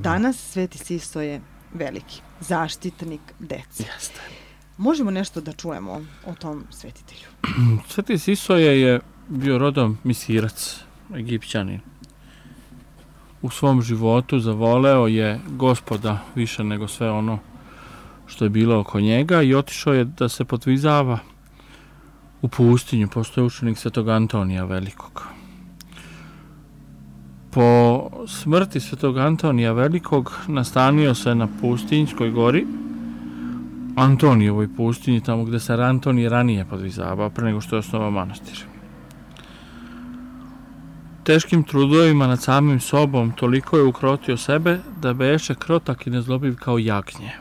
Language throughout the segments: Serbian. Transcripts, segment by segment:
Danas Sveti Siso je veliki zaštitnik dece. Jeste. Možemo nešto da čujemo o tom svetitelju? Sveti Sisoje je bio rodom misirac, Egipćanin. U svom životu zavoleo je Gospoda više nego sve ono što je bilo oko njega i otišao je da se podvizava u pustinju. Postoje učenik Svetog Antonija Velikog. Po smrti Svetog Antonija Velikog nastanio se na Pustinjskoj gori, Antonijevoj pustinji, tamo gde se Antonij ranije podvizavao, pre nego što je osnovao manastir. Teškim trudovima nad samim sobom toliko je ukrotio sebe da beše krotak i nezlobiv kao jagnje.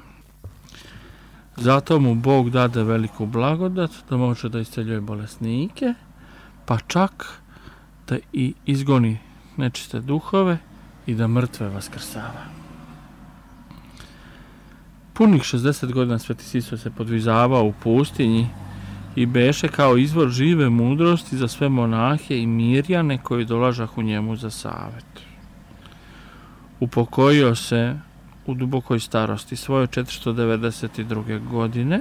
Zato mu Bog dade veliku blagodat da može da isceljuje bolesnike, pa čak da i izgoni nečiste duhove i da mrtve vaskrsava. Punih 60 godina Sveti Siso se podvizavao u pustinji i beše kao izvor žive mudrosti za sve monahe i mirjane koji dolažahu njemu za savet. Upokojio se u dubokoj starosti svoje 492. godine,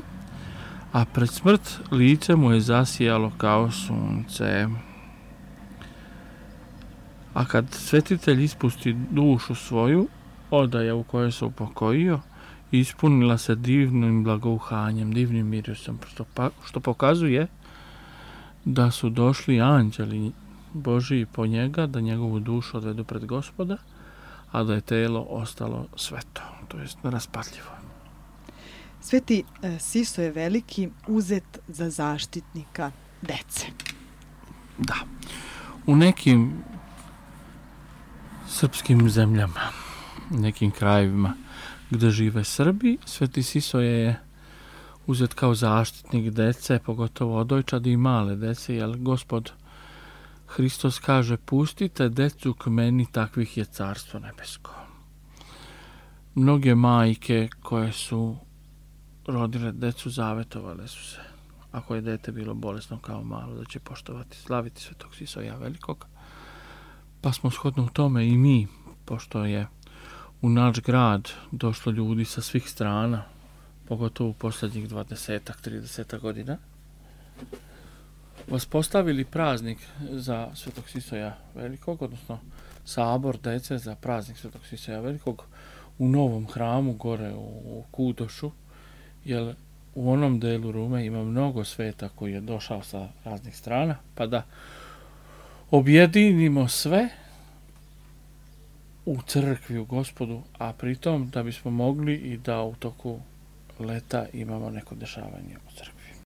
a pred smrt lice mu je zasijalo kao sunce. A kad svetitelj ispusti dušu svoju, odaja u kojoj se upokojio, ispunila se divnim blagouhanjem, divnim mirisom, što pokazuje da su došli anđeli Božiji po njega, da njegovu dušu odvedu pred Gospoda, a da je telo ostalo sveto, to jest neraspatljivo. Sveti Siso je veliki uzet za zaštitnika dece. Da. U nekim srpskim zemljama, nekim krajevima gde žive Srbi, Sveti Siso je uzet kao zaštitnik dece, pogotovo odojčadi i male dece, jer Gospod Hristos kaže: pustite decu k meni, takvih je carstvo nebesko. Mnoge majke koje su rodile decu zavetovale su se, ako je dete bilo bolesno kao malo, da će poštovati, slaviti Svetog Sisoja Velikog. Pa smo shodno tome i mi, pošto je u naš grad došlo ljudi sa svih strana, pogotovo u posljednjih 20-30 godina, vaspostavili praznik za Svetog Sisoja Velikog, odnosno sabor dece za praznik Svetog Sisoja Velikog u novom hramu gore u Kudošu, jer u onom delu Rume ima mnogo sveta koji je došao sa raznih strana, pa da objedinimo sve u crkvi, u Gospodu, a pritom da bismo mogli i da u toku leta imamo neko dešavanje u crkvi.